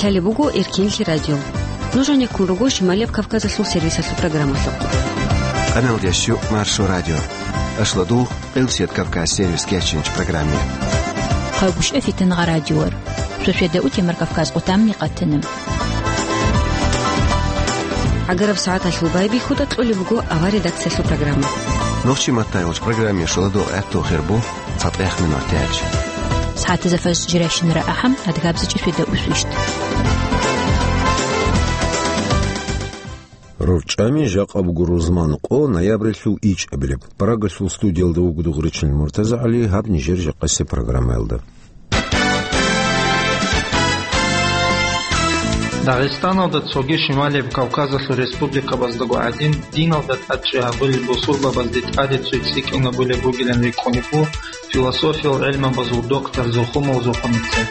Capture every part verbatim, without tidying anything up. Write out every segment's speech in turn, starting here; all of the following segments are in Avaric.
Гьале буго Эркенлъи радио. Нуж гӀенеккун руго Шималияб Кавказалъул сервисалъул программалъухъ. Къаналдящу Маршо радио. Ашладул, Къилсият Кавказ сервис кечинч программе. Хъагушев Фитангъа радиор. Сосведа утемар Кавказ отамни къатана. ГӀагараб сагӀаталъул байбихьуда кьолеб буго авар редакциялъул программа. Нохчи маттайолч программе шоладо гӀатту хирбу. ЦатӀех минут тяч. СагӀатазда фарз жирайщинара ахӀам, адгабзачӀи светда усвищт. РорчӀами жакъа буго рузман къо, ноябрилъул ичӀабилеб. Прагалъул студиялда вуго Дугъричил МуртазагӀали, гьаб нижер жакъасеб программаялда. Дагъистаналда цоги Шималияб Кавказалъул республикабаздаго гӀадин, диналда тӀадчӀи гьабулел бусурбабазде тӀаде цой цӀикӀкӀинабулеб бугилан рикӀкӀунеб бу философиял гӀелмабазул доктор Зухумал Зухумица.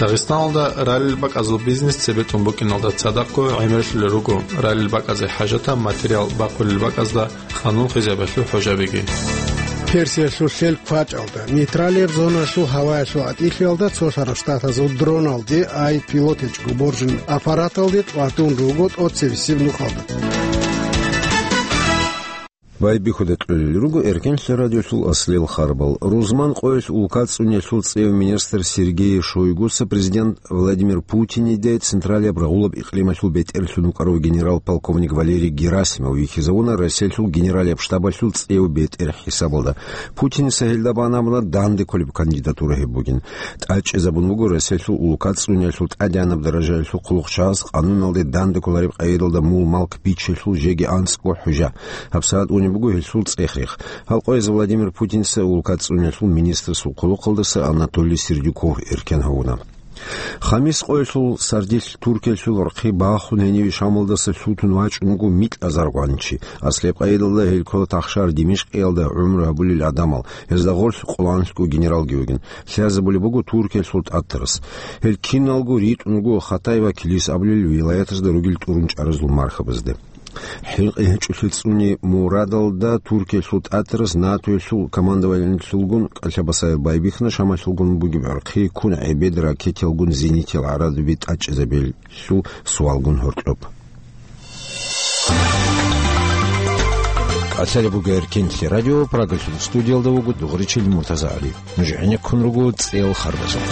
Дагъистаналда ралел бакӀазул бизнес цебетӀун букӀиналда цадахъго гӀемерлъулел руго ралел бакӀазе хӀажатаб материал бахъулел бакӀазда къанун хизабалъул хӀужабиги. Персиялъул лъел квачӀалда, нейтралияб зоналъул гьаваялъул гӀатӀилъиялда цолъараб штатазул дроналде, ай пилот гьечӀого боржин аппараталде тӀватун руго тӀоцебесеб нухалда. Байбихьуда кьолел руго Эркенлъи радиолъул аслел харбал. Рузман къоялъ улкацӀцӀуниялъул цӀев министр Сергей Шойгуца президент Владимир Путиниде Централияб рагъулаб икълималъул бетӀерлъун вукӀарав генерал-полковник Валерий Герасимов вихьизавуна Россиялъул генералияб штабалъул цӀев бетӀер хӀисабалда. Путиница гьелда бан абуна данде кколеб кандидатура гьеб бугин. ТӀадчӀезабун буго Россиялъул улкацӀцӀуниялъул тӀадегӀанаб даражаялъул хъулухъчагӀаз къануналде данде кколареб къайдалда мул-малк бичелъул жеги анцӀго хӀужа. ГьабсагӀат унеб буго гьелъул цӀех-рех. Гьал къояз Владимир Путинца улкацӀцӀуниялъул министрасул хъулухъалдаса Анатолий Сердюков эркен гьавуна. Хамис къоялъул сардилъ Туркиялъул рахъи бахун гьениве Шамалдаса лъутун вачӀун вуго микьазаргъванчи. Аслияб къайдалда гьел ккола тахшар Димишкъиялда гӀумру гьабулел гӀадамал, гьезда гъорлъ къоланлъго генералги вугин. Лъазабулеб буго Туркиялъул тӀатарас. Гьел киналго ритӀун руго Хатай ва Килис абулел вилаятазда ругел тӀурун чӀаразул мархабазде. ХӀинкъи гьечӀолъи цӀуни мурадалда Туркиялъул тӀатарас НАТОялъул командованиялъулгун кӀалъабасаяб байбихьна Шамалъулгун бугеб гӀорхъи ккун гӀебед ракетиялгун зенитиял гӀарадаби тӀадчӀезабиялъул суалгун гьоркьоб. КӀалъалеб буго Эркенлъи радио, Прагалъул студиялда вуго Дугъричил МуртазагӀали. Нуж гӀенеккун руго цӀел харбазухъ.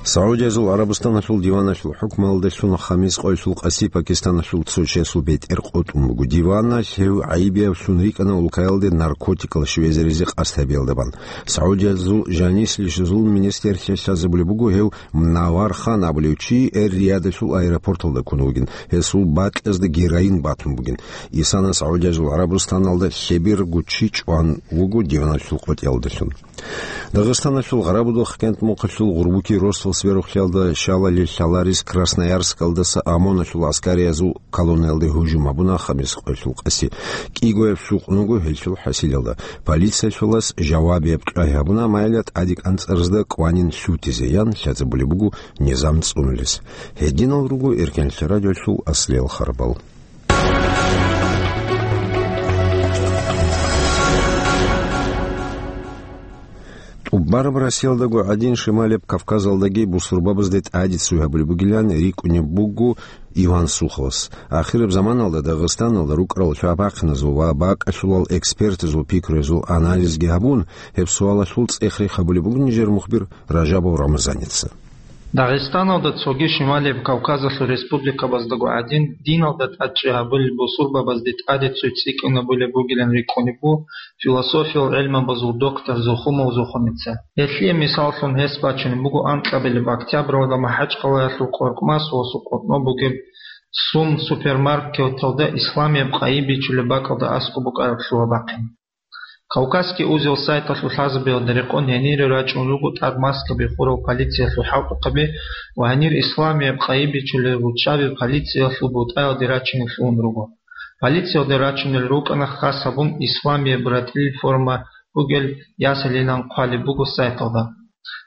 Саудиязул ГӀарабстаналъул диваналъул хӀукмалдалъун Хамис къоялъул къаси Пакистаналъул цо чиясул бетӀер къотӀун буго. Диваналъ гьев гӀайибиявлъун рикӀкӀана улкаялде наркотикал щвезаризе къасд гьабиялда бан. Саудиязул жанислъи зулму министрлъиялъ лъазабулеб буго гьев Мнавар Хан абулев чи Эр-Риядалъул аэропорталда ккун вугин, гьесул бакьазда героин батун бугин. Исана Саудиязул ГӀарабстаналда лъеберго чи чӀван вуго диваналъул къотӀиялдалъун. Дагъистаналъул Гъарабудухъ кентмухъалъул гъурбуки росдал сверухълъиялда щалалил лъаларис Красноярскалдаса ОМОНалъул аскариязул колонналде гьужум гьабуна Хамис къоялъул къаси. КӀигояб сукъун вуго гьелъул хӀасилалда. Полициялъулас жавабияб кьвай гьабуна, амма гьелда тӀаде кӀанцӀаразда кӀванин лъутизе ян лъазабулеб буго низам цӀунулес. Гьединал руго Эркенлъи радиолъул аслел харбал. ТӀубараб Россиялдаго гӀадин, Шималияб Кавказалдаги бусурбабазде тӀаде цой гьабулеб бугилан рикӀкӀунеб буго Иван Суховас. Ахираб заманалда Дагъистаналда рукӀарал лъабахъиназул ва бакӀалъулал экспертазул пикруязул анализги гьабун, гьеб суалалъул цӀех-рех гьабулеб буго нижер мухбир Ражабов Рамазаница. Дагъистаналда цоги Шималияб Кавказалъул республикабаздаго гӀадин, диналда тӀадчӀи гьабулел бусурбабазде тӀаде цой цӀикӀкӀинабулеб бугилан рикӀкӀунеб бу философиял гӀелмабазул доктор Зухумал Зухумица. Гьелъие мисаллъун гьес бачунеб буго анкьабилеб октябралда МахӀачкъалаялъул Къоркъмасовасул къотӀноб бугеб Сум супермаркеталда исламияб къайи бичулеб бакӀалда аскӀоб букӀараб лъугьа-бахъин. Кавказский узел сайталъул лъазабиялда рекъон гьенире рачӀун руго тӀад маскаби хурал полициялъул хӀалтӀухъаби ва гьанир исламияб къайи бичулел руччаби полициялъул бутӀаялде рачине лъугьун руго. Полициялде рачунел рукӀана хас гьабун исламияб ратӀлил форма бугел ясалилан хъвалеб буго сайталда.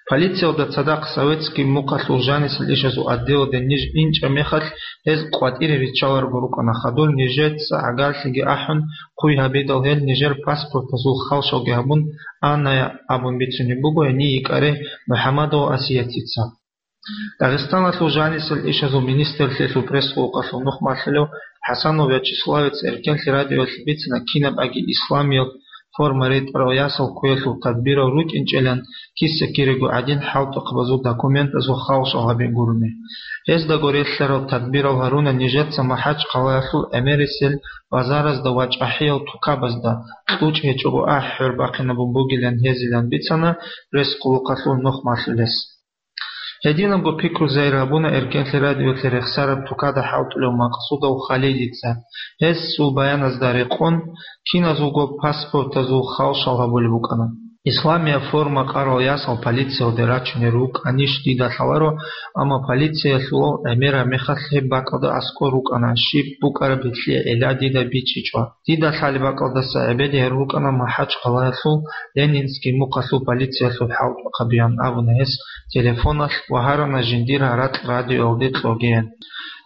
Полициялда цадахъ советский мухъалъул жанисел ишазул отделалде ниж инчӀеб мехалъ, гьез къватӀире риччаларого рукӀана. Хадур нижеца гӀагарлъиги ахӀун, хъуй гьабидал гьел нижер паспортазул халшалги гьабун, Анная абун бицунеб буго гьенив йикӀарай МухӀамадова Асиятица. Дагъистаналъул жанисел ишазул министрлъиялъул пресс-къуллукъалъул нух малъулев ХӀасанов Вячеславец Эркенлъи радиоялъе бицана кинаб аги исламиял форма ретӀарал ясал ккуялъул тадбирал рукӀинчӀилан киса-кирего гӀадин хӀалтӀухъабазул документазул халшал гьабин гурони. Гьездаго релълъарал тадбирал гьаруна нижеца МахӀачхъалаялъул гӀемерисел базаразда ва чӀахӀиял тукабазда, кьучӀ гьечӀого ахӀи-хӀор бахъинабун бугилан гьезилан бицана пресс-къуллукъалъул нух малъулес. Гьединабго пикру зайир гьабуна Эркенлъи радиоялъе рехсараб тукада хӀалтӀулев Макъсудов Халидица. Гьесул баяназда рекъон, киназулго паспортазул халшал гьабулеб букӀана. Исламияб форма къарал ясал полициялде рачунел рукӀанищ дида лъаларо, амма полициялъулал гӀемераб мехалъ гьеб бакӀалда аскӀор рукӀана щиб букӀараб гьелъие гӀилла дида бичӀчӀичӀо. Дида лъалеб бакӀалдаса гӀебеде гьарун рукӀана МахӀачхъалаялъул Ленинский мухъалъул полициялъул хӀалтӀухъабиян абуна гьес телефоналъ ва гьарана жиндир гьаракь радиоялде кьогеян.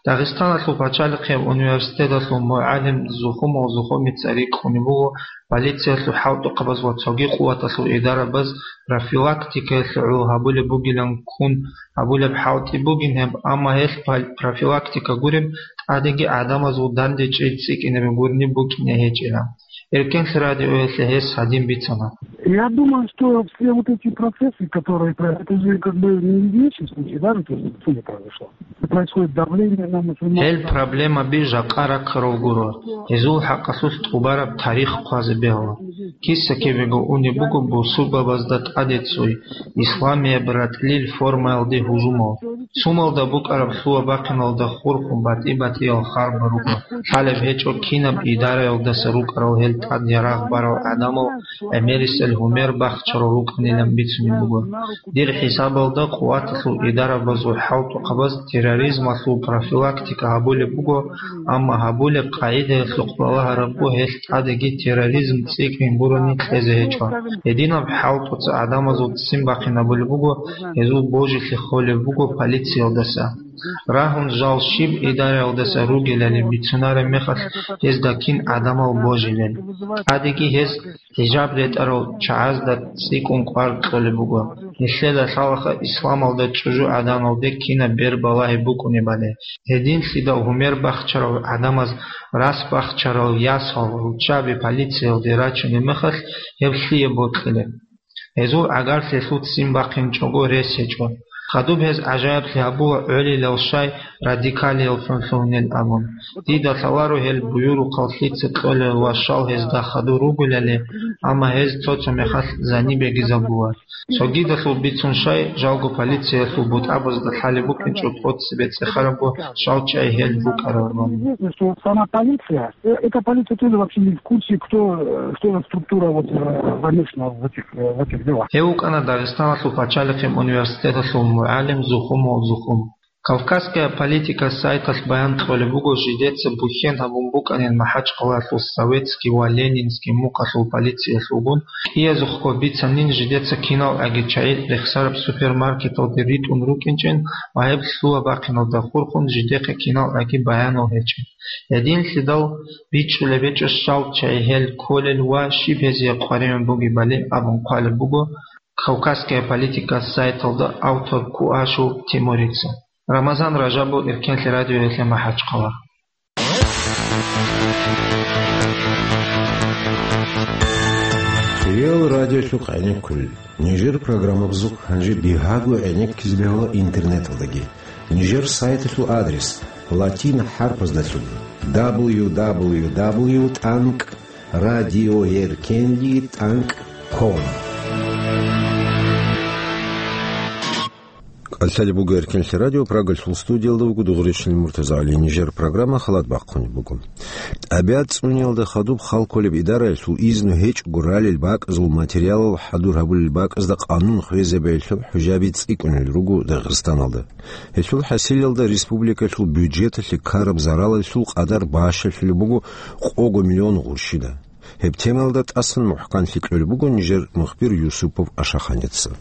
Дагъистаналъул пачалихъияб университеталъул мугӀалим Зухумов Зухумица рикӀкӀунеб буго полициялъул хӀалтӀухъабаз ва цоги къуваталъул идарабаз профилактикаялъе гӀоло гьабулеб бугилан ккун гьабулеб хӀалтӀи бугин гьеб, амма гьелъ пал-, профилактика гуреб тӀадеги гӀадамазул дандечӀей цӀикӀкӀинабе гурни букӀине гьечӀила. Эркенлъи радиоялъе гьес гьадин бицана. Я думаю, что все вот эти процессы, которые про-, это же как бы не единичный случай, да, ведь это произошло. Происходит давление на мусульман. Гьел проблемаби жакъа раккарал гуро. Гьезул хӀакъалъулъ тӀубараб тарих хъвазе бегьула. Киса-кибего унеб буго бусурбабазда тӀаде цой, исламияб ратӀлил формаялде гьужумал. Сумалда букӀараб лъугьа-бахъиналда хурхун батӀи-батӀиял харбал руго. Лъалеб гьечӀо кинаб идараялдаса рукӀарал гьел тӀад ярагъ барал гӀадамал гӀемерисел гьумер бахчарал рукӀанилан бицунеб буго. Дир хӀисабалда къуваталъул идарабазул хӀалтӀухъабаз терроризмалъул профилактика гьабулеб буго, амма гьабулеб къагӀидаялъухъ балагьарабго гьелъ тӀадеги терроризм цӀикӀкӀин гурони кьезе гьечӀо. Гьединаб хӀалтӀуца гӀадамазул ццин бахъинабулеб буго, гьезул божилъи холеб буго полициялдаса. Рагьун жал щиб идараялдаса ругелали бицунареб мехалъ гьезда кин гӀадамал божилел. ТӀадеги гьез хӀижаб ретӀарал чагӀазда цӀикӀкӀун кӀвар кьолеб буго. Нилъеда лъалаха исламалда чӀужу гӀадамалде кинаб бер балагьи букӀунебали. Гьединлъидал гьумер бахчарал гӀадамаз рас бахчарал ясал руччаби полициялде рачунеб мехалъ гьеб лъие бокьилеб? Гьезул гӀагарлъи лъуццин бахъинчӀого рес гьечӀо. Хадуб гьез гӀажаиблъи гьабула гӀолилал щай радикалиял лъун лъугьунел абун. Дида лъаларо гьел буюрухъал лъица кьолел ва щал гьезда хадур ругелали, амма гьез цо-цо мехалъ зани бегизабула. Цогидалъул бицун щай, жалго полициялъул бутӀабазда лъалеб букӀинчӀо тӀоцебе цӀехарабго щал чӀай гьел рукӀарабани. Известно, что сама полиция, э, эта полиция тоже вообще не в курсе, кто, э, что за структура вот, э, замешана в этих, э, в этих делах. Гьев вукӀана Дагъистаналъул пачалихъе университеталъул мугӀалим Зухумов Зухум. Кавказская политика сайталъ баян кьолеб буго, жидеца бухьен гьабун букӀанин МахӀачхъалаялъул Советский ва Ленинский мухъалъул полициялъулгун, кӀиязухъго бицанин жидеца киналгӀаги чагӀи рехсараб супермаркеталде ритӀун рукӀинчӀин ва гьеб лъугьа-бахъиналда хурхун жидехъе киналгӀаги баянал гьечӀин. Гьединлъидал бичӀчӀулеб гьечӀо щал чагӀи гьел кколел ва щиб гьезие къваригӀун бугебали абун хъвалеб буго Кавказская политика сайталда автор Куашев Тимурица. Рамазан Ражабов, Эркенлъи радиоялъе МахӀачхъала. Реал радиолъухъ гӀенеккулел. Нижер программабазухъ гьанже бигьаго гӀенеккизе бегьула интернеталдаги. Нижер сайталъул адрес латин хӀарпаздалъун: дабл ю дабл ю дабл ю тӀанкӀ радиоеркенлъи тӀанкӀ ком. КӀалъалеб буго Эркенлъи радио, Прагалъул студиялда вуго Дугъришин МуртазагӀали. Нижер программа халат бахъунеб буго. ТӀабигӀат цӀуниялда хадуб хал кколеб идараялъул изну гьечӀого ралел бакӀазул материалал хӀадур гьабулел бакӀазда къанун хвезабеялъул хӀужаби цӀикӀкӀунел руго Дагъистаналда. Гьелъул хӀасилалда республикалъул бюджеталъе ккараб заралалъул къадар бащалъулеб буго къого миллион гъурщида. Гьеб темаялда тӀасан мухӀканлъи кьолеб буго нижер мухбир Юсупов Ашаханица.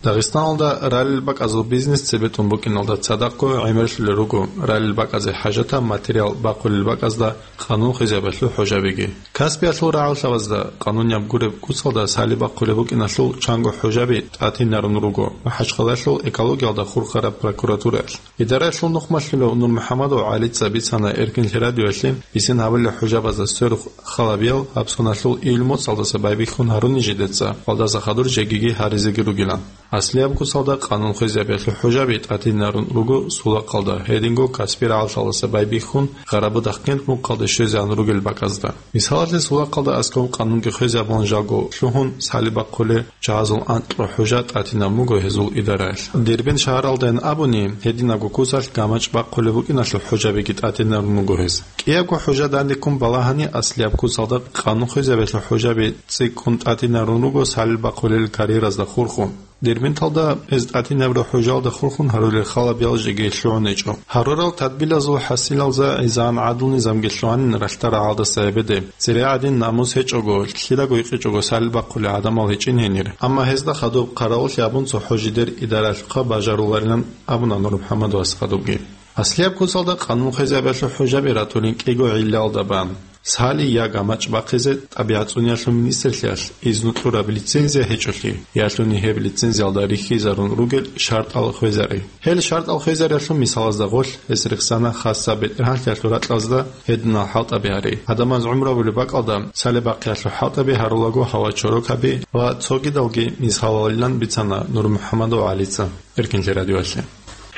Дагъистаналда ралел бакӀазул бизнес цебетӀун букӀиналда цадахъго гӀемерлъулел руго ралел бакӀазе хӀажатаб материал бахъулел бакӀазда къанун хвезабиялъул хӀужабиги. Каспиялъул рагӀаллъабазда къанунияб гуреб куцалда сали бахъулеб букӀиналъул чанго хӀужаби тӀатинарун руго МахӀачхъалаялъул экологиялда хурхараб прокуратураялъ. Идараялъул нухмалъулев Нурмухьамадов ГӀалица бицана Эркинлъи радиоялъе бицин гьабулел хӀужабазда сверухъ халабиял гьаб соналъул июль моцӀалдаса байбихьун гьаруни жидеца, гьалдаса хадур жегиги гьаризеги ругилан. Аслияб куцалда къанун хвезабиялъул хӀужаби тӀатинарун руго Сулахъалда, гьединго Каспи рагӀаллъалдаса байбихьун Гъарабудахъ кент мухъалде щвезегӀан ругел бакӀазда. Мисалалъе, Сулахъалда аскӀоб къанунги хвезабун жалго лъугьун сали бахъулел чагӀазул анкьго хӀужа тӀатинаб буго гьезул идараялъ. Дербент шагьаралдайин абуни, гьединабго куцалъ гамачӀ бахъулеб букӀиналъул хӀужабиги тӀатинарун буго гьез. КӀиябго хӀужа данде ккун балагьани, аслияб куцалда къанун хвезабиялъул хӀужаби цӀикӀкӀун тӀатинарун руго сали бахъулел карьеразда хурхун. Дербенталда гьез тӀатинабураб хӀужалда хурхун гьарулел халабиял жеги лъугӀун гьечӀо. Гьарурал тадбилазул хӀасилалда гӀезегӀан гӀадлу-низамги лъугьанин ралъдал рагӀалдаса эбеде, цере гӀадин намус гьечӀого, лъидаго гьикъичӀого сали бахъулел гӀадамал гьечӀин гьенир. Амма гьезда хадуб хъаравуллъи абун цохӀо жидер идаралъухъа бажаруларилан абуна Нурмухьамадовас хадубги. Аслияб куцалда къанун хвезабиялъул хӀужаби ратулин кӀиго гӀиллаялда бан. Сали я гамачӀ бахъизе тӀабигӀат цӀуниялъул министрлъиялъ изну кьураб лицензия гьечӀолъи, ялъуни гьеб лицензиялда рихьизарун ругел шартӀал хвезари. Гьел шартӀал хвезариялъул мисалазда гъолъ гьес рехсана хасаб бетӀергьанлъиялъул ракьазда гьединал хӀалтӀаби гьари. Гьадамаз гӀумру гьабулеб бакӀалда сали бахъиялъул хӀалтӀаби гьарулаго гьава чорокаби ва цогидалги мисалалилан бицана Нурмухьамадов ГӀалица Эркинлъи радиоялъе.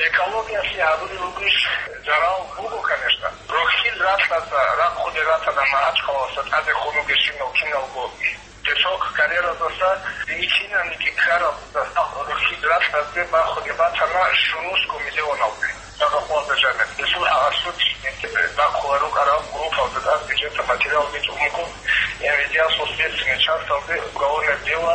Экологиялъе гьабулеб бугищ зарал буго, конечно. Рохьил ралъдаса рахъулел ратана МахӀачхъалаялдаса тӀаде хун ругел щинал киналго песок карьеразаса, диничинаниги каралдаса рохьил ралъдасде бахунеб батана щунусго миллионалде. Дагъахъвалда жаниб. Гьесул гьагьалъулъ бахъула рукӀарал группалда тӀад бюджеталъул материалги чӀун буго, МВД-асул следственный часталде уголовное дело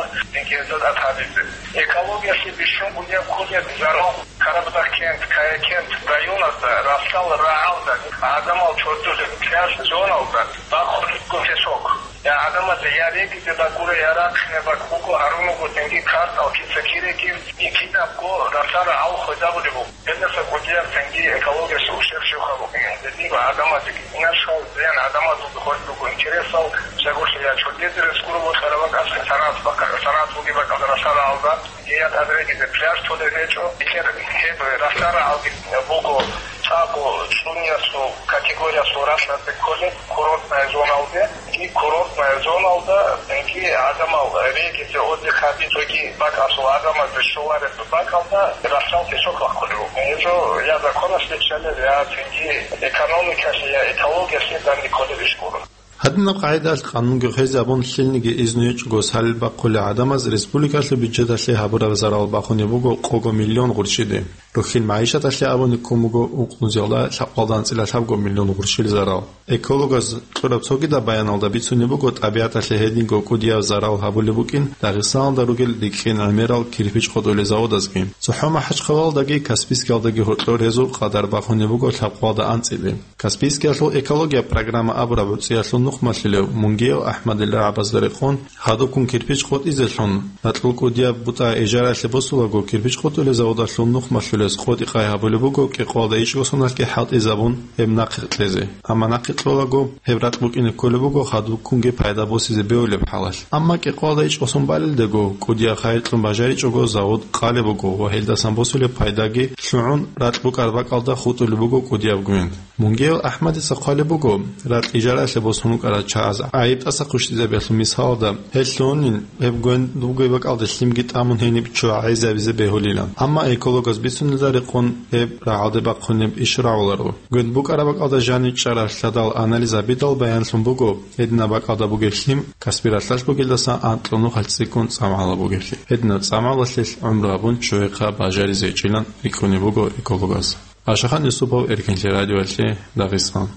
гьезда тӀад гьабизе. Экологиялъе бищун кӀудияб кколеб зарал Карабудахъ кент, Кая кент районазда ралъдал рагӀалда гӀадамал чордулел пляж зоналда бахъулеб буго песок. Я гӀадамазе я регизе бакӀура, я рахъине бакӀ буго, гьарун руго цинги картал кица кирегив, и кидабго ралъдал рагӀал хвезабулеб буго. Гьелдаса кӀудияб цинги экологиялъе ущерб щибха букӀине. Гьединго гӀадамазеги инаршал зиян, гӀадамазулги хвел руго интересал, щайгурелъул я чордезе рес гуро бокьараб бакӀалъ, санагӀат бакӀа-, санагӀат бугеб бакӀалда ралъдал рагӀалда. Гьеб рагӀалги пляж толеб гьечӀо, гьеб ралъдал рагӀалги буго цӀакъго цӀуниясул категориясул ралъдалъе кколеб курортная зоналде, и курортная зоналда, цинги гӀадамал регизе, отдых гьабизе, цоги бакӀалъул гӀадамазде щолареб бакӀалда ралъдал песок бахъулеб буго. Гьеб жо я законалъе кколеб, я цинги экономикалъе, я экологиялъе данде кколеб иш гуро. Гьадинаб къагӀидалъ къанунги хвезабун, лъилниги изну гьечӀого сали бахъулел гӀадамаз республикалъул бюджеталъе гьабураб зарал бахунеб буго къого миллион гъурччиде. Рухьил магӀишаталъе абуни ккун буго укънузеялда лъабкъалда анцӀила лъабго миллион гъурччил зарал. Экологаз кьураб цогидаб баяналда бицунеб буго, тӀабигӀаталъе гьединго кӀудияб зарал гьабулеб букӀин Дагъистаналда ругел рикӀкӀин гӀемерал кирпич къотӀулел заводазги. ЦохӀо МахӀачхъалалдаги Каспийскиялдаги гьоркьор гьезул къадар бахунеб буго лъабкъалда анцӀили. Каспийскиялъул экология программа абураб гӀуцӀиялъул нухмалъулев Мунгиев АхӀмадил рагӀабазда рекъон, гьадуккун кирпич къотӀизелъун, ракьул кӀудияб бутӀа ижаралъе босулаго, кирпич къотӀулел заводалъул нухмалъулез къотӀи-къай гьабулеб буго кӀикъоялда ичӀго соналъги хӀалтӀизабун гьеб нахъе кьезе. Амма нахъе кьолаго, гьеб ракь букӀине кколеб буго хадубккунги пайда босизе бегьулеб хӀалалъ. Амма кӀикъоялда ичӀго сон балелдаго, кӀудияб хайир кьун бажаричӀого завод къалеб буго ва гьелдасан босулеб пайдаги лъугӀун, ракь букӀараб бакӀалда хутӀулеб буго кӀудияб гвент. Мунгиев АхӀмадица хъвалеб буго, ракь ижаралъе босун рукӀарал чагӀаз гӀайиб тӀаса хъущтӀизабиялъул мисалалда, гьел лъугьунин, гьеб гвент бугеб бакӀалде лъимги тӀамун гьениб ччу гӀайизабизе бегьулилан. Амма экологаз бицунелда рекъон гьеб рагӀалде бахъунеб иш рагӀуларо. Гвент букӀараб бакӀалда жанив чӀарал лъадал анализ гьабидал баянлъун буго, гьединаб бакӀалда бугеб лъим Каспи ралъдалъ бугелдаса анкьго нухалъ цӀикӀкӀун цӀамгӀала бугеблъи. Гьединаб цӀамгӀалалъе гӀумру гьабун ччугьехъа бажаризе гьечӀилан рикӀкӀунеб буго экологаз. Ашахан Юсупов, Эркинлъи радиоялъе, Дагъистан.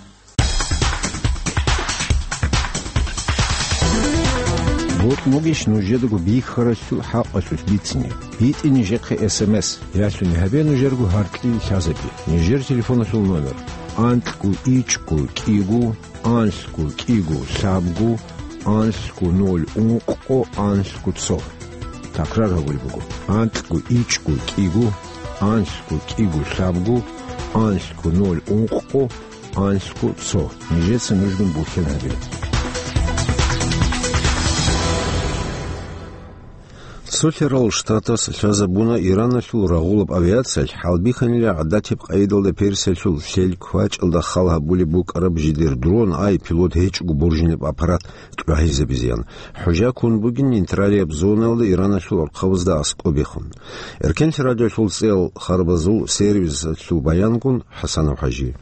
Бокьун бугищ нужедаго бихьаралъул хӀакъалъулъ бицине? БитӀе нижехъе эс эм эс, ялъуни гьабе нужерго гьаркьил лъазаби. Нижер телефоналъул номер: анкьго ичӀго кӀиго, анлъго кӀиго лъабго, анлъго ноль ункъго, анлъго цо. Такрар гьабулеб буго: анкьго ичӀго кӀиго, анлъго кӀиго лъабго, анлъго ноль ункъго, анлъго цо. Нижеца нужгун бухьен гьабе. Цолъарал Штатас лъазабуна Ираналъул рагъулаб авиациялъ хӀалбихьанила гӀадатиб къайдалда Персиялъул лъел квачӀалда хал гьабулеб букӀараб жидер дрон, ай пилот гьечӀого боржинаб аппарат тӀагӀизабизеян. ХӀужа ккун бугин нейтралияб зонаялда Ираналъул архъабазда аскӀобехун. Эркенлъи радиолъул цӀел харбазул сервисалъул баянгун ХӀасанов ХӀажи.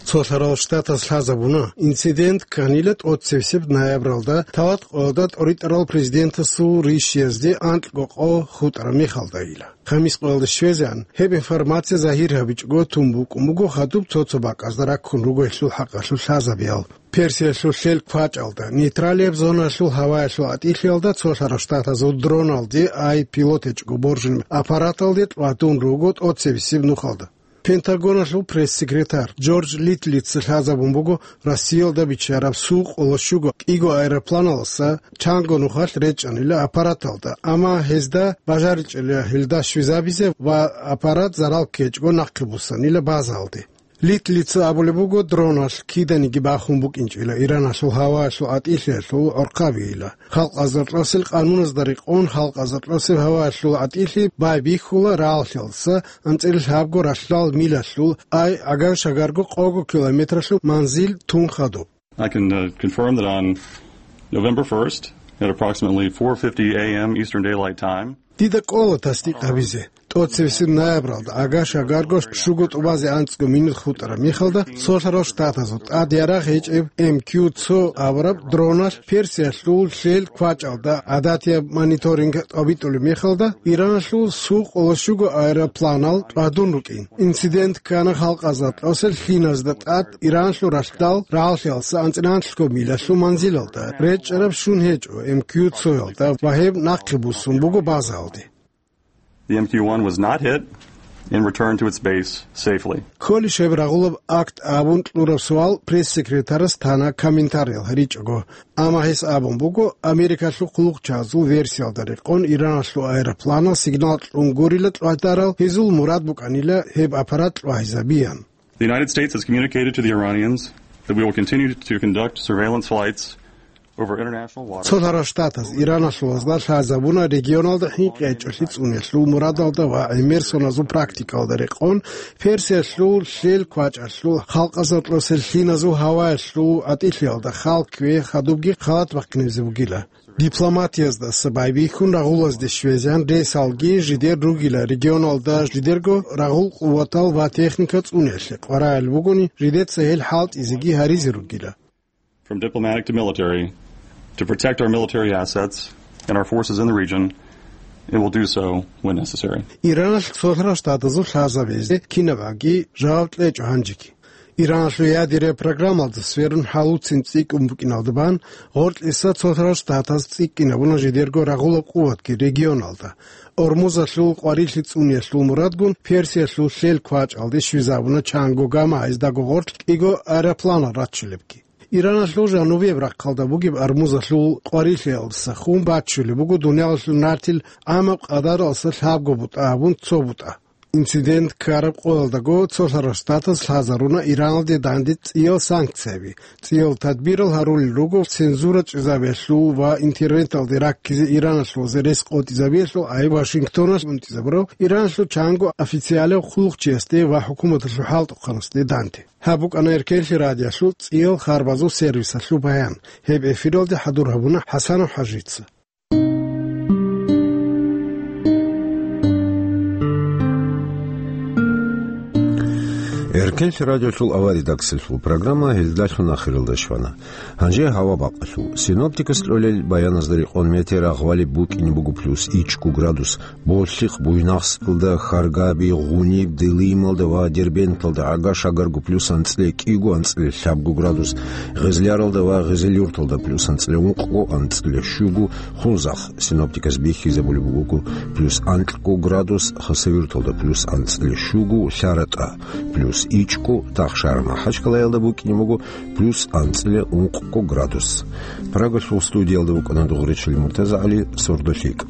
Цолъарал Штатас лъазабуна, инцидент кканила тӀоцевсеб ноябралда, талат къоялда тӀоритӀарал президентасул ришиязде анкьго къо хутӀараб мехалдайила. Хамис къоялда щвезегӀан, гьеб информация загьир гьабичӀого тун букӀун буго хадуб цо-цо бакӀазда раккун ругелъул хӀакъалъулъ лъазабиял. Персиялъул лъел квачӀалда, нейтралияб зоналъул гьаваялъул гӀатӀилъиялда цолъарал Штатазул дроналде, ай пилот гьечӀого боржинаб аппараталде тӀвадун руго тӀоцебесеб нухалда. Пентагоналъул пресс-секретарь Джордж Литлица лъазабун буго Россиялда биччараб сукъулащуго кӀиго аэропланаласа чанго нухалъ речӀчӀанила аппараталда, амма гьезда бажаричӀила гьелда щвезабизе ва аппарат зарал ккечӀого нахъе буссанила базаялде. Литлица абулеб буго, дроналъ киданиги бахун букӀинчӀила Ираналъул гьаваялъул гӀатӀилъиялъул гӀорхъабийила. Халкъ Азар Кьасил къануназда рекъон, Халкъ Азар Кьасил гьаваялъул гӀатӀилъи байбихьула рагӀалъиялдаса анцӀила лъабго ралъдал милалъул, ай гӀагар-шагарго къого километралъул манзил тун хадуб. I can, uh, confirm that on November first, at approximately four fifty A M Eastern Daylight Time, Дида кӀола тасдикъ гьабизе. ТӀоцевесеб ноябралда, гӀагар-шагарго щуго тӀубазе анцӀго минут хутӀараб мехалда, цолъарал Штатазул тӀад ярагъ гьечӀеб М Q цо абураб дроналъ Персиялъул лъел квачӀалда гӀадатияб мониторинг тӀобитӀулеб мехалда, Ираналъул сукъулащуго аэропланал тӀвадун рукӀин. Инцидент ккана Халкъ Азар Кьасил лъиназда тӀад Ираналъул ралъдал рагӀалъиялдаса анцӀила анлъго милалъул манзилалда, речӀчӀараб щун гьечӀо М Q цоялда ва гьеб нахъе буссун буго базаялде. The M Q one was not hit and returned to its base safely. Кколищ гьеб рагъулаб акт абун кьураб суал пресс-секретарас тана комментариял гьаричӀого. Амма гьес абун буго, Америкалъул хъулухъчагӀазул версиялда рекъон, Ираналъул аэропланал сигнал кьун гурила тӀвадарал, гьезул мурад букӀанила гьеб аппарат тӀагӀизабиян. The United States has communicated to the Iranians that we will continue to conduct surveillance flights over international waters. Цолъарал Штатаз Ираналъулазда лъазабуна регионалда хӀинкъи гьечӀолъи цӀуниялъул мурадалда ва гӀемер соназул практикалда рекъон, Персиялъул лъел квачӀалъул, Халкъ Азар Кьасил лъиназул гьаваялъул гӀатӀилъиялда хал ккве хадубги халат бахъинабизе бугила. Дипломатияздаса байбихьун рагъулазде щвезегӀан ресалги жидер ругила, регионалда жидерго рагъул къуватал ва техника цӀуниялъе къваригӀел бугони, жидеца гьел хӀалтӀизеги гьаризе ругила. From diplomatic to military, to protect our military assets and our forces in the region, and will do so when necessary. Ираналъ Цолъарал Штатазул лъазабизе кинабаги жаваб кьечӀо гьанжеги. Ираналъул ядерия программалда сверун хӀалуцин цӀикӀкӀун букӀиналда бан, гъоркьиса Цолъарал Штатаз цӀикӀкӀинабуна жидерго рагъулаб къуватги регионалда. Ормузалъул къварилъи цӀуниялъул мурадгун Персиялъул лъел квачӀалде щвезабуна чанго гама, гьездаго гъорлъ кӀиго аэропланал раччулебги. Ираналъул жанубияб рахъалда бугеб Ормузалъул къварилъиялдаса хун баччулеб буго дуниялалъул нартил гӀамаб къадаралдаса лъабго бутӀа абун цо бутӀа. Инцидент ккараб къоялдаго Цолъарал Штатаз лъазаруна Ираналде данде цӀиял санкцияби. ЦӀиял тадбирал гьарулел руго цензура чӀезабиялъул ва интернеталде раккизе Ираналъулазе рес къотӀизабиялъул, ай Вашингтоналъ унтӀизабурав Ираналъул чанго официалав хъулухъчиясде ва хӀукуматалъул хӀалтӀухъанасде данде. Гьаб букӀана Эркенлъи радиоялъул цӀиял харбазул сервисалъул баян. Гьеб эфиралде хӀадур гьабуна ХӀасанов ХӀажица. Эркенлъи радиолъул авария даксилъул программа гьелдалъун ахиралда щвана. Гьанже гьава бакъалъул. Синоптикас кьолел баяназда рекъон метеорагъвали букӀине буго плюс ичӀго градус, Болъихъ, Буйнакскалда, Харгаби, Гъуниб, Делималда ва Дербенталда гӀага-шагарго плюс анцӀила кӀиго, анцӀила лъабго градус, Гъезляралда ва Гъезелюрталда плюс анцӀила ункъго, анцӀила щуго, Хунзахъ, синоптикас бихьизабулеб буго, плюс анкьго градус, Хасавюрталда плюс анцӀила щуго, ЛъаратӀа плюс ичӀго, Тахшар-МахӀачкъалаялда букӀине буго плюс анцӀила ункъго градус. Прагалъул студиялда вукӀана Дугъричил МуртазагӀали, сордолъикӀ.